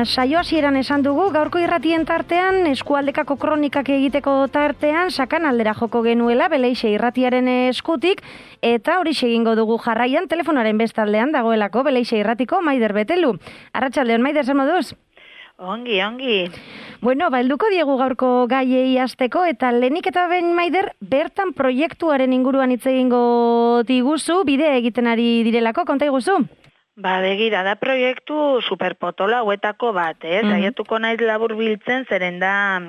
saio hasieran esan dugu, gaurko irratien tartean, eskualdekako kronikak egiteko tartean, sakan aldera joko genuela, Beleixe irratiaren eskutik, eta hori egingo dugu jarraian, telefonaren bestaldean dagoelako, Beleixe irratiko Maider Betelu. Arratsaldeon, Maider, zer moduz? Ongi, ongi. Bueno, helduko diegu gaurko gaiei hasteko eta lehenik eta behin, Maider, bertan proiektuaren inguruan hitz egingo diguzu, bidea egiten ari direlako, konta iguzu? Begira, da proiektu superpotola hauetako bat, saiatuko naiz labur biltzen, zeren da,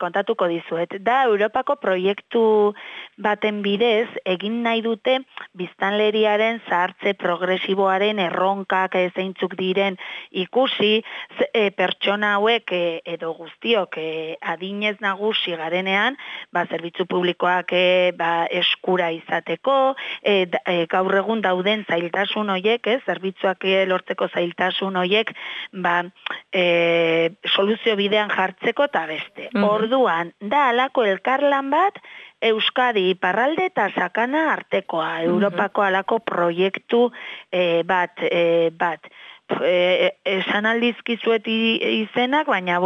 kontatuko dizuet. Da, Europako proiektu baten bidez, egin nahi dute biztanleriaren zahartze progresiboaren erronkak zeintzuk diren ikusi, pertsona hauek edo guztiok adinez nagusi garenean, zerbitzu publikoak eskura izateko, gaur egun dauden zailtasun hoiek, zerbitzuak lortzeko zailtasun hoiek, soluzio bidean jartzeko eta beste. Orduan, da alako elkarlan bat, Euskadi iparralde eta sakana artekoa, Europako alako proiektu bat. Esan aldizkizuet izenak, baina,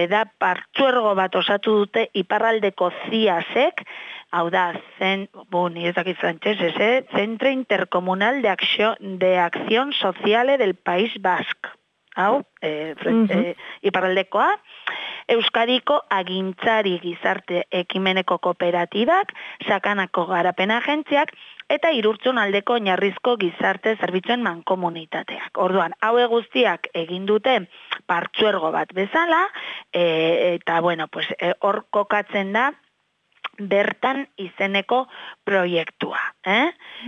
da partzuergo bat osatu dute iparraldeko ziasek, hau da, Centro Intercomunal de Acción Sociale del País Basque. Hau, iparraldekoa, Euskadiko agintzari gizarte ekimeneko kooperatibak, sakanako garapen agentziak, eta Irurtzun aldeko oinarrizko gizarte zerbitzuen mankomunitateak. Orduan, haue guztiak egin dute partzuergo bat bezala, eta, hor kokatzen da, bertan izeneko proiektua.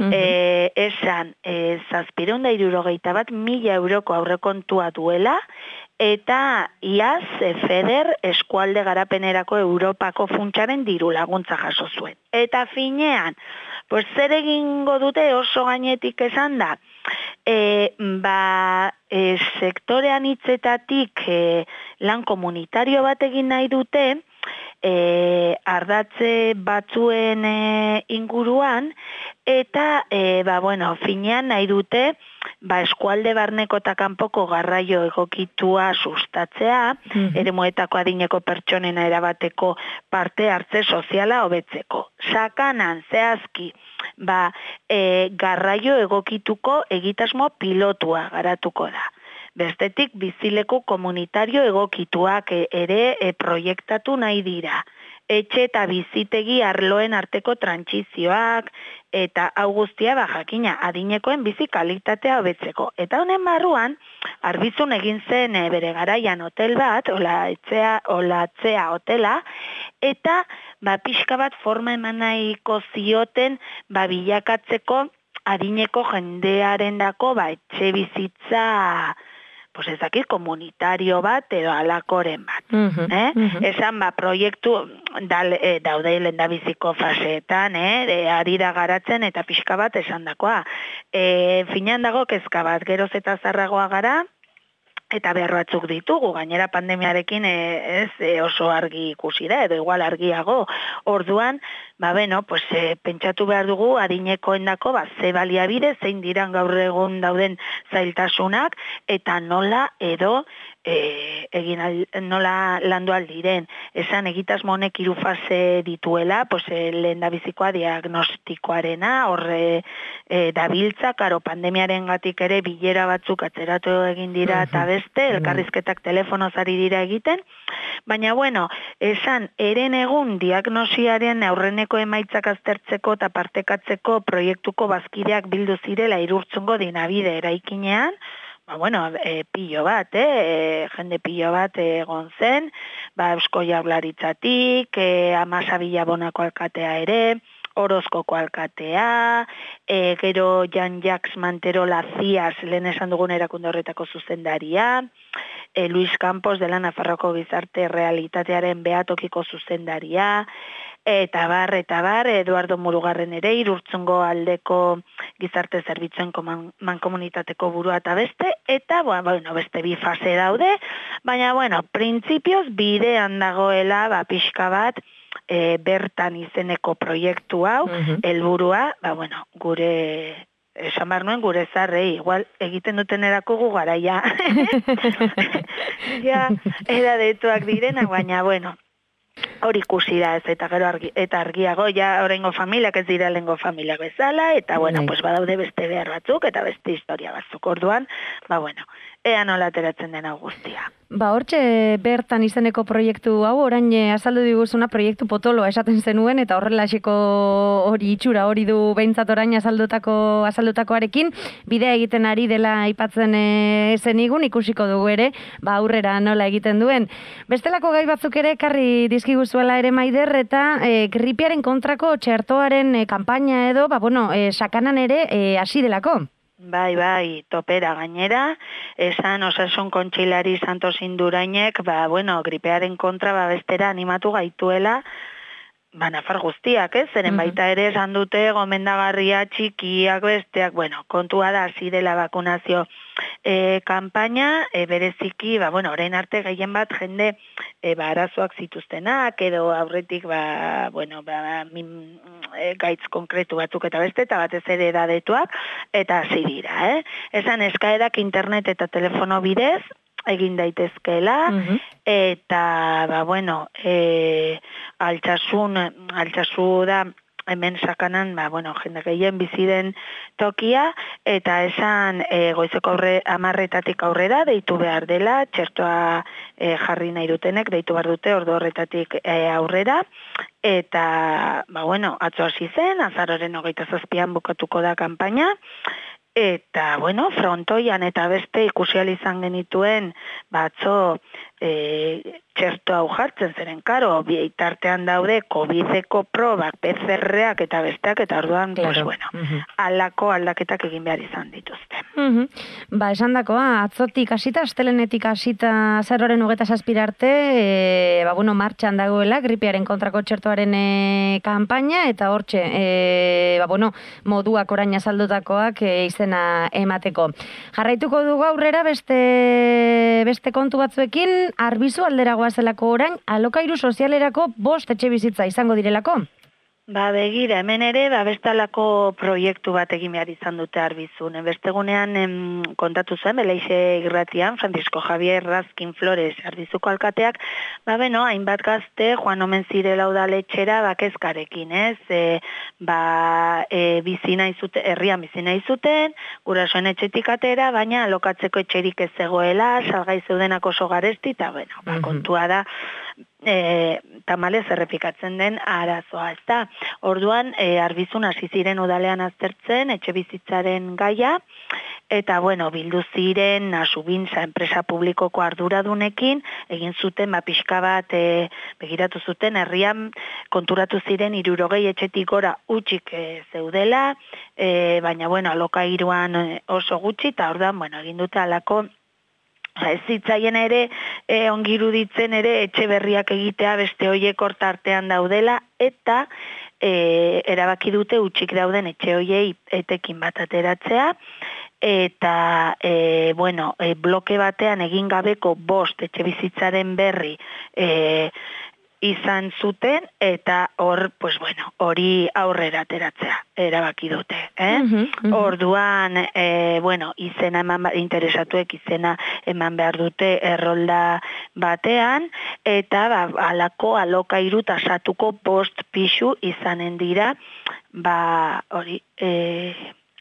Esan, 761.000 euroko aurrekontua duela, eta iaz FEDER eskualde garapenerako Europako funtsaren diru laguntza jaso zuen. Eta finean, zer egingo dute oso gainetik esan da, sektorean hitzetatik lan komunitario bat egin nahi dute, ardatze batzuen inguruan, eta, finean nahi dute, eskualde barneko eta kanpoko garraio egokitua sustatzea, eremuetako adineko pertsonena erabateko parte hartze soziala hobetzeko. Sakanan, zehazki, garraio egokituko egitasmo pilotua garatuko da. Bestetik, bizileku komunitario egokituak ere proiektatu nahi dira. Etxe eta bizitegi arloen arteko trantsizioak, eta hau guztia jakina adinekoen bizi kalitatea hobetzeko. Eta honen barruan, Arbizun egin zen bere garaian hotel bat, olatzea hotela, eta pixka bat forma eman nahiko zioten bilakatzeko adineko jendearen dako etxe bizitza komunitario bat edo alakoren bat. Esan proiektu daude lehendabiziko faseetan, ari da garatzen eta pixka bat esan dakoa. Finean dago kezka bat, geroz eta zarragoa gara, eta behar batzuk ditugu, gainera pandemiarekin oso argi ikusi da, edo igual argiago. Orduan, pentsatu behar dugu adinekoendako ze baliabide, zein diran gaur egun dauden zailtasunak, eta nola edo nola landu aldiren. Esan egitasmo honek 3 fase dituela, lehendabizikoa diagnostikoarena, horre dabiltza, karo pandemiaren gatik ere bilera batzuk atzeratu egin dira eta beste, elkarrizketak telefonoz ari dira egiten, baina esan eren egun diagnosiaren aurreneko emaitzak aztertzeko eta partekatzeko proiektuko bazkideak bildu zirela Irurtzungo dinabide eraikinean, pilo bat, jende pilo bat egon zen, Eusko Jaurlaritzatik, Amasa Bilabonako alkatea ere, Orozkoko alkatea, gero Jan-Jacques Manterola Zias, lehen esan dugun erakunde horretako zuzendaria, Luis Campos dela Nafarroko gizarte realitatearen behatokiko zuzendaria, eta bar, Eduardo Murugarren ere, Irurtzungo aldeko gizarte zerbitzuen mankomunitateko burua eta beste, eta, beste 2 fase daude, baina, printzipioz bidean dagoela, pixka bat, bertan izeneko proiektu hau, helburua, gure esan behar nuen gure zarrei, igual egiten duten erako gu gara, ja, eradetuak direna, baina, bueno, hori ikusi da ez, eta gero eta argiago, ja, horrengo familiak ez dira lehengo familiak bezala, eta, bueno, pues badaude beste behar batzuk, eta beste historia batzuk, orduan, ba, bueno, ea nola ateratzen den hau guztia. Ba, hortxe bertan izeneko proiektu hau, orain azaldu diguzuna proiektu potoloa esaten zenuen, eta horrelaxeko hori itxura hori du behintzat orain azaldutakoarekin, bidea egiten ari dela aipatzen zenigun, ikusiko dugu ere, ba, aurrera nola egiten duen. Bestelako gai batzuk ere, karri dizkiguzuela ere Maider, eta gripearen kontrako txertoaren kanpaina edo, ba, bueno, sakanan ere hasi delako. Bai, topera gainera, esan Osasun Kontseilari Santos Indurainek, ba, bueno, gripearen kontra bestera animatu gaituela, ba, nafar guztiak, ez? Zeren baita ere esan dute gomendagarria txikiak besteak, bueno, kontua da hasi dela bakunazio kanpaina, bereziki, ba, bueno, orain arte gehien bat jende ba, arazoak zituztenak, edo aurretik, ba, bueno, ba, gaitz konkretu batzuk eta beste, eta batez ere edadetuak, eta hasi dira, Esan eskaerak internet eta telefono bidez, egin daitezkeela, eta, ba, bueno, altsasu da, hemen sakanan, ba, bueno, jende gehien biziren tokia, eta esan goizeko 10:00 aurrera deitu behar dela, txertoa jarri nahi dutenek, deitu behar dute ordu horretatik aurrera, eta, ba, bueno, atzo hasi zen, azaroren 27an bukatuko da kanpaina, eta, bueno, frontoian eta beste ikusial izan genituen, batzo txerto hau jartzen zeren, karo, bitartean daude COVID-eko probak, PCR-ak eta besteak, eta orduan, pues, bueno, alako aldaketak egin behar izan dituzte. Ba, esan dakoa, atzotik hasita, astelenetik hasita azaroaren 27 arte, ba, bueno, martxan dagoela, gripearen kontrako txertoaren kanpaina, eta hortxe, ba, bueno, moduak orain azaldutakoak izena emateko. Jarraituko dugu aurrera beste kontu batzuekin, Arbizu alderagoa zelako orain, alokairu sozialerako 5 etxe bizitza izango direlako? Ba, begira, hemen ere, ba, bestalako proiektu bat egin behar izan dute Arbizun. Bestegunean kontatu zuen, Beleixe irratian, Francisco Javier Razkin Flores, Arbizuko alkateak, ba, beno, hainbat gazte, joan omen zirela udaletxera, bakezkarekin, ez? Herrian bizina izuten, gurasoen etxetik atera, baina alokatzeko etxerik ez zegoela, salgai zeudenak oso garesti, eta, bueno, ba, kontua da, tamalez errepikatzen den arazoa, ez da. Orduan, Arbizun hasi ziren udalean aztertzen, etxe bizitzaren gaia, eta, bueno, bildu ziren Nasubintza enpresa publikoko arduradunekin, egin zuten, ba, pixka bat, begiratu zuten, herrian konturatu ziren 60 etxetik gora utxik zeudela, baina, bueno, alokairuan oso gutxi, eta orduan, bueno, egin dute alako, ez zitzaien ere, ongiruditzen ere, etxe berriak egitea beste hoiek hortartean daudela, eta erabaki dute utxik dauden etxe hoiei etekin bat ateratzea, eta, bueno, bloke batean egin gabeko 5 etxe bizitzaren berri izan zuten, eta hor, pues bueno, hori aurrera ateratzea, erabaki dute. Orduan, bueno, izena interesatuek izena eman behar dute errolda batean, eta ba, alako alokairu tasatuko 5 pixu izanen dira, ba, hori,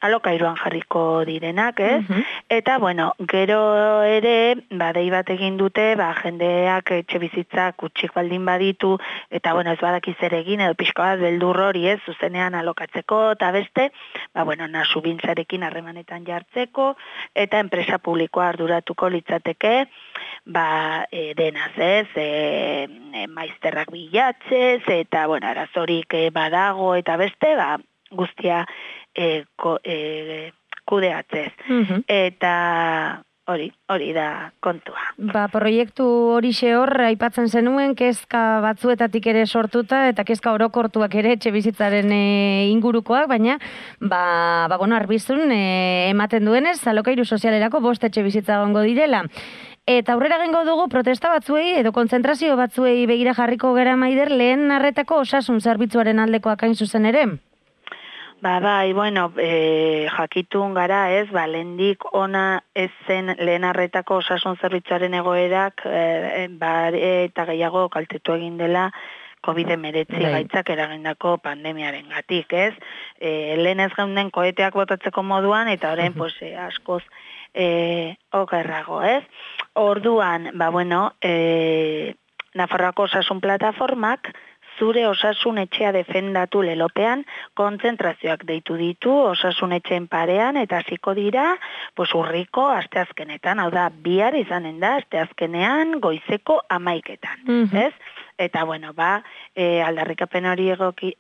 alokairuan jarriko direnak, ez? Eta, bueno, gero ere, ba, dei bat egin dute, ba, jendeak etxe bizitzak utxik baldin baditu, eta, bueno, ez badakiz ere egin, edo pixko bat beldur hori, ez, zuzenean alokatzeko, eta beste, ba, bueno, Nasubintzarekin harremanetan jartzeko, eta enpresa publikoa arduratuko litzateke, ba, denaz, ez, maizterrak bilatzez, eta, bueno, arazorik badago, eta beste, ba, guztia kudeatzez. Eta hori da kontua. Ba, proiektu horixe hor, aipatzen zenuen, kezka batzuetatik ere sortuta, eta kezka orokortuak ere etxe bizitzaren ingurukoak, baina, ba, bueno, Arbizun ematen duenez, alokairu sozialerako 5 etxe bizitza gongo direla. Eta aurrera gengo dugu protesta batzuei edo kontzentrazio batzuei begira jarriko gara Maider, lehen arretako osasun zerbitzuaren aldekoak hain zuzen ere? Bai, bueno, jakitun gara, ez, lehendik ona ez zen lehen arretako osasun zerbitzuaren egoerak, eta gehiago kaltetu egin dela COVID-19 gaitzak eragindako pandemiaren gatik, ez? Lehen ez geunden koeteak botatzeko moduan, eta orain, pues, askoz okerrago, ez? Orduan, Nafarroako osasun plataformak, zure osasun etxea defendatu lelopean, kontzentrazioak deitu ditu osasun etxeen parean, eta hasiko dira, urriko asteazkenetan, hau da, bihar izanen da, asteazkenean goizeko 11:00, ez? Eta, aldarrikapen hori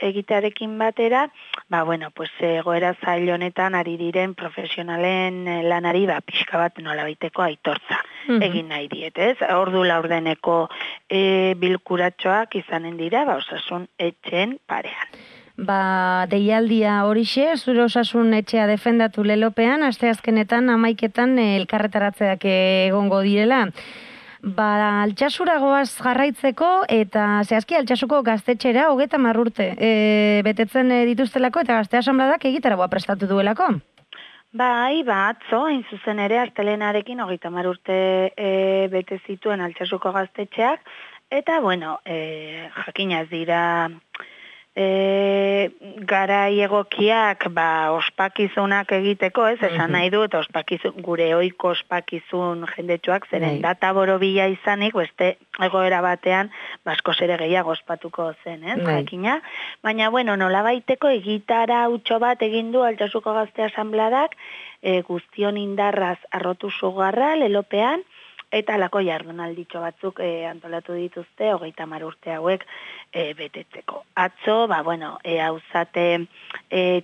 egitearekin batera, egoera zail honetan ari diren profesionalen lanari, pixka bat nolabaiteko aitortza egin nahi diet, ez? Ordu laurdeneko bilkuratxoak izanen dira, osasun etxeen parean. Deialdia horixe, zure osasun etxea defendatu lelopean, asteazkenetan 11:00 elkarretaratzeak egongo direla. Altsasura goaz jarraitzeko eta zehazki Altsasuko gaztetxera 30 urte betetzen dituztelako eta gazte asanbladak egitaragoa prestatu duelako. Atzo, hain zuzen ere, astelenarekin 30 urte bete zituen Altsasuko gaztetxeak, eta, jakina ez dira garai egokiak ospakizunak egiteko, ez, esan nahi dut, gure ohiko ospakizun jendetsuak, zeren data borobila izanik, beste egoera batean, askoz ere gehiago ospatuko zen, ez, jakina. Baina, nolabaiteko egitara hutso bat egin du Altsasuko gazte asanbladak, guztion indarraz arrotu sugarra lelopean, eta alako jardunalditxo batzuk antolatu dituzte 30 urte hauek betetzeko. Atzo, hauzate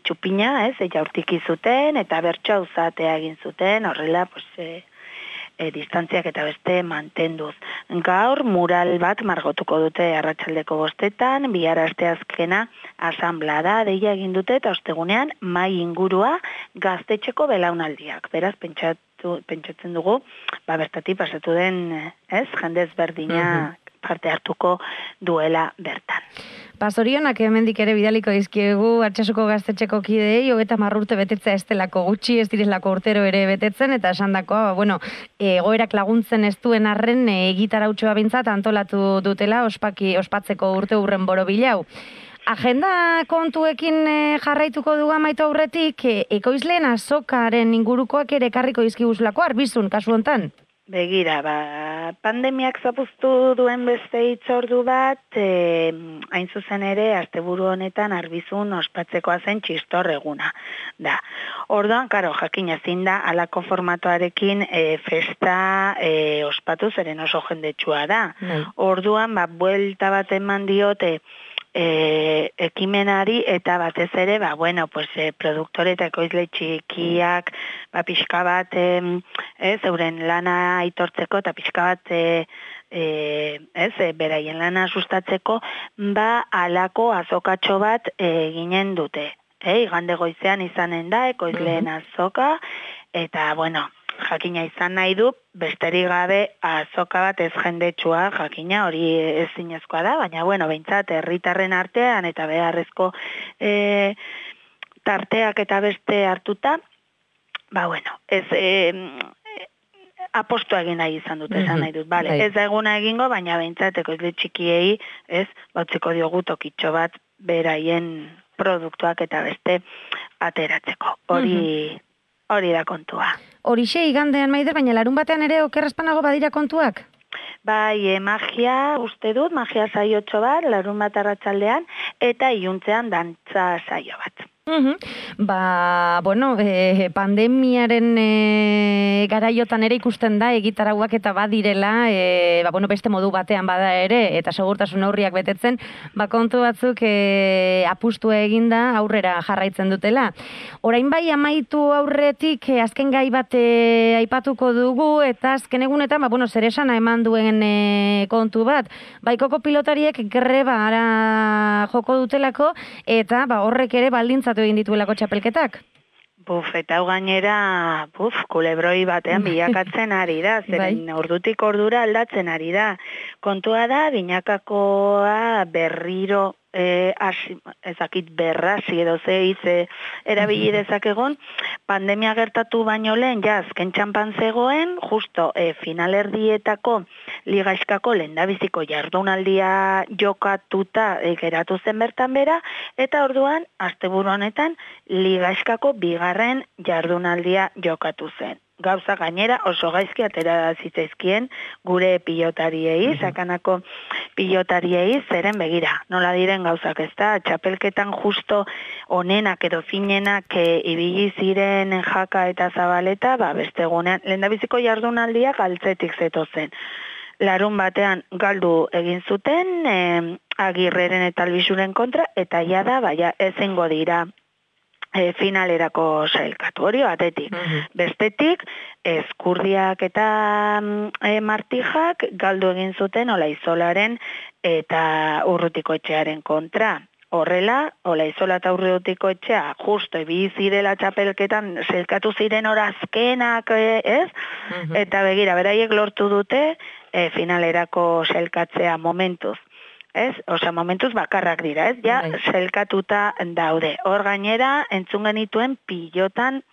txupina, ez, jaurtiki zuten, eta bertso hauzatea egin zuten, horrela, distantziak eta beste mantenduz. Gaur, mural bat margotuko dute arratsaldeko 5:00, bihar asteazkena asanblada deia egin dute, eta ostegunean mai ingurua gaztetxeko belaunaldiak. Beraz, pentsatzen dugu, bertatik pasatu den, ez, jende ezberdina parte hartuko duela bertan. Zorionak hemendik ere bidaliko dizkiegu Altsasuko gaztetxeko kideei 30 urte betetzea ez delako gutxi, ez direlako urtero ere betetzen, eta esandakoa, egoerak laguntzen ez duen arren egitarautxoa bintzat antolatu dutela ospatzeko urte hurren borobilau. Agenda kontuekin jarraituko dugu amaitu aurretik, ekoizleen azokaren ingurukoak ere ekarriko dizkiguzulako arbizun, kasu hontan? Begira, pandemiak zapuztu duen beste hitzordu bat, hain zuzen ere, asteburu honetan arbizun ospatzekoa zen txistor eguna. Orduan, jakin ezin da, alako formatoarekin festa ospatu, zeren oso jendetsua da. Orduan, buelta bat eman diote, ekimenari eta batez ere, produktore eta ekoizle txikiak, pixka bat, euren lana aitortzeko eta pixka bat, beraien lana sustatzeko, alako azokatxo bat ginen dute. Igande goizean izanen da, ekoizleen azoka, eta, jakina izan nahi du, besterik gabe azoka bat ez jendetsua, jakina hori ez zinezkoa da, baina, behintzat, herritarren artean eta beharrezko tarteak eta beste hartuta, ez apostua egin nahi izan dut, esan nahi dut, ez da eguna egingo, baina behintzat, ekoizle txikiei, ez, bautziko diogu tokitxo bat beraien produktuak eta beste ateratzeko. Hori da kontua. Horixe igandean Maider, baina larun batean ere okerrezpanago badira kontuak? Magia uste dut, magia saiotxo bat, larun bat arratsaldean, eta iluntzean dantza saio bat. Pandemiaren garaiotan ere ikusten da egitarauak eta badirela, beste modu batean bada ere, eta segurtasun neurriak betetzen, kontu batzuk apustua eginda aurrera jarraitzen dutela. Orain bai amaitu aurretik azken gai bat aipatuko dugu, eta azken egunetan, zer esana eman duen kontu bat. Baikoko pilotariek grebara joko dutelako, eta horrek ere baldintzatu egin dituelako txapelketak? Eta hau gainera, kulebroi batean bilakatzen ari da, zeren ordutik ordura aldatzen ari da. Kontua da, binakakoa berriro ezakit berrasi edo erabili dezakegon, pandemia gertatu baino lehen, azken txampan zegoen, justo finalerdietako ligaiskako lehendabiziko jardunaldia jokatuta geratu zen bertan bera, eta orduan, asteburu honetan, ligaiskako bigarren jardunaldia jokatu zen. Gauza gainera oso gaizki atera zitzaizkien gure pilotariei, sakanako pilotariei, zeren begira. Nola diren gauzak ez da, txapelketan justo onenak edo finenak ibili ziren Jaka eta Zabaleta, beste egunean, lehendabiziko jardunaldia galtzetik zetozen. Larun batean galdu egin zuten, Agirreren eta Albisuren kontra, eta jada, ezingo dira finalerako sailkatu hori batetik. Bestetik, Ezkurdiak eta Martijak galdu egin zuten Olaizolaren eta Urrutikoetxearen kontra. Horrela, Olaizola eta Urrutiko etxea, justo zirela txapelketan sailkatu ziren orazkenak, ez? Eta begira, beraiek lortu dute finalerako sailkatzea momentuz. Ez? Osea, momentuz bakarrak dira, ez? Ja, sailkatuta daude. Hor gainera, entzun genituen pilotan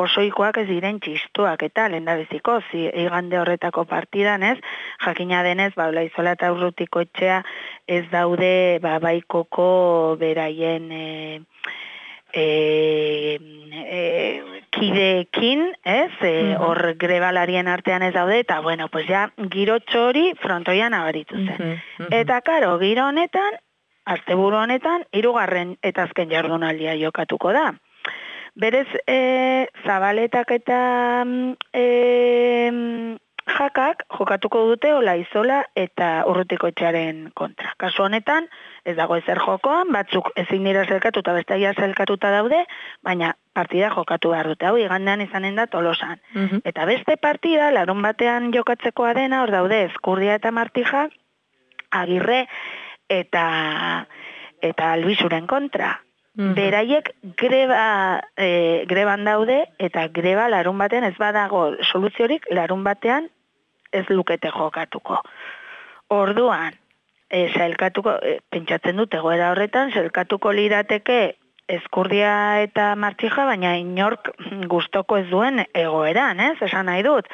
osoikoak ez diren txistuak, eta lehendabiziko, igande horretako partidan, ez? Jakina denez, Olaizola eta Urrutikoetxea ez daude baikoko beraien kideekin, ez? Hor grebalarien artean ez daude, eta bueno, pues ja, girotxo hori frontoian abaritu zen. Eta karo, giro honetan, asteburu honetan, 3. eta azken jardunaldia jokatuko da. Berez, Zabaletak eta Jakak jokatuko dute Olaizola eta Urrutikoetxearen kontra. Kasu honetan, ez dago ezer jokoan, batzuk ezin dira zelkatu eta besteia zelkatuta daude, baina partida jokatu behar dute. Hau, igandean izanen da Tolosan. Eta beste partida, larun batean jokatzekoa dena, hor daude Ezkurdia eta Martija, Agirre eta Albisuren kontra. Beraiek greban daude, eta greba larun batean ez badago soluziorik, larun batean ez lukete jokatuko. Orduan, sailkatuko, pentsatzen dut egoera horretan, sailkatuko lirateke Ezkurdia eta Martija, baina inork gustoko ez duen egoeran, ez? Esan nahi dut.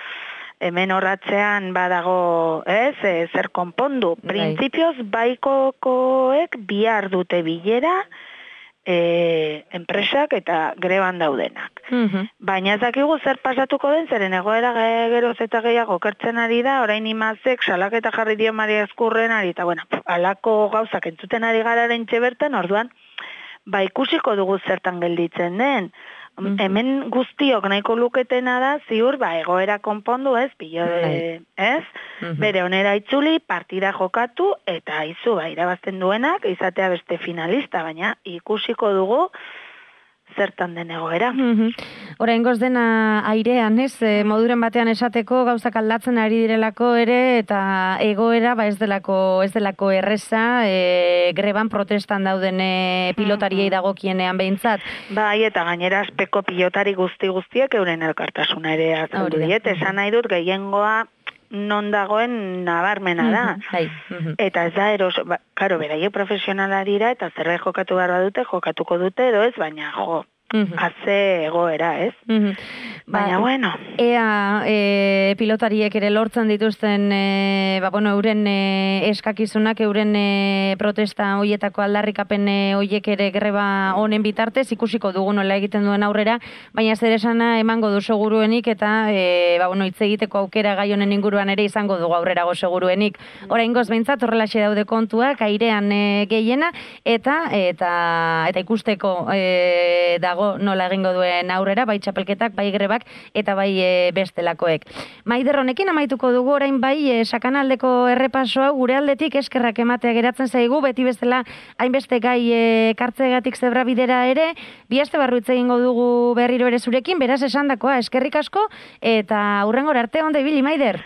Hemen horratzean badago, ez, zer konpondu. Printzipioz, baikokoek bihar dute bilera, enpresak eta greban daudenak. Baina ez dakigu zer pasatuko den, zeren egoera geroz eta gehiago kertzen ari da, orain imazek salaketa jarri dio Maria Ezkurrenari, eta bueno, alako gauzak entzuten ari gararen txebertan, orduan, ikusiko dugu zertan gelditzen den. Hemen guztiok nahiko luketena da, ziur, egoera konpondu, ez, ez? Bere onera itzuli, partida jokatu, eta izu, irabazten duenak, izatea beste finalista, baina ikusiko dugu zertan den egoera. Oraingoz dena airean, ez? Moduren batean esateko gauzak aldatzen ari direlako ere, eta egoera ez delako erreza, greban protestan dauden pilotariei dagokienean behintzat. Bai, eta gainera aspeko pilotari guztiek euren elkartasuna ere azaldu diet, esan nahi dut gehiengoa non dagoen nabarmena da. Eta ez da karo, beraie profesionala dira, eta zerbait jokatu behar dute, jokatuko dute edo ez, baina haze egoera, ez? Baina, bueno. Ea pilotariek ere lortzen dituzten, euren eskakizunak, euren protesta hoietako aldarrikapen hoiek ere greba honen bitartez, ikusiko dugu nola egiten duen aurrera, baina zer esana emango du seguruenik, eta hitz egiteko aukera gai honen inguruan ere izango dugu aurrerago seguruenik. Oraingoz behintzat horrelaxe daude kontuak, airean gehiena, eta ikusteko dago nola egingo duen aurrera, bai txapelketak, bai grebak, eta bai bestelakoek. Maider, honekin amaituko dugu orain sakanaldeko errepasoa, gure aldetik eskerrak ematea geratzen zaigu, beti bestela hainbeste gai kartzegatik zebra bidera ere, bi aste barru hitz egingo dugu berriro ere zurekin, beraz esandakoa, eskerrik asko, eta hurrengora arte ondo ibili, Maider.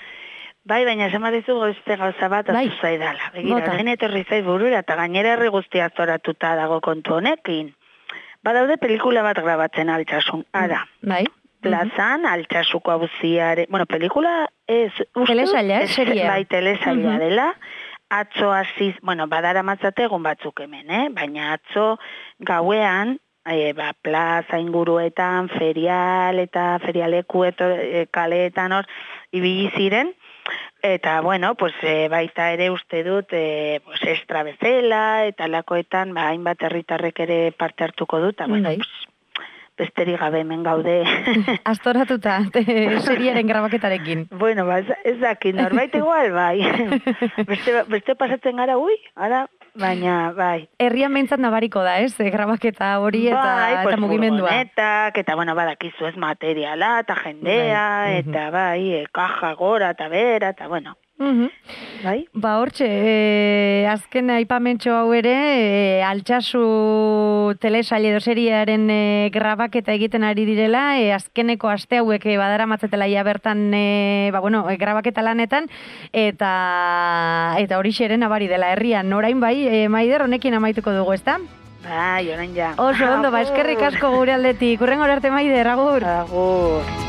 Bai, baina esan badizu beste gauza bat azu zaidala. Begira, den etorri zaiz burura, eta gainera herri guztia zoratuta dago kontu honekin. Badaude pelikula bat grabatzen Altsasun, ara. Bai. Plazan, Altsasuko auziare, pelikula ez, telesaila, seria. Bai, telesaila dela, atzo hasiz, badara matzate egun batzuk hemen, baina atzo gauean, plaza inguruetan, ferial eta ferialeku kaleetan hor ibili ziren, eta, baita ere uste dut, estra bezala, eta lakoetan, hainbat herritarrek ere parte hartuko dut, besterik gabe hemen gaude. Astoratuta, seriaren grabaketarekin. Ez dakit, norbait igual, bai. Beste pasatzen gara, baina, bai. Herrian behintzat nabariko da, ez? Grabaketa hori eta mugimendua. Furgonetak, eta, badakizu ez materiala, eta jendea, eta, kaja gora, eta bera, eta, Bai? Hortxe, azken aipamentxo hau ere, Altsasu telesaile edo seriaren grabaketa egiten ari direla, azkeneko aste hauek badara matzetela ia bertan, grabaketa lanetan, eta hori xeren abari dela herrian. Orain bai, Maider, honekin amaituko dugu, ezta? Bai, orain ja. Oso ondo, eskerrik asko gure aldetik. Hurrengo arte, Maider, agur. Agur.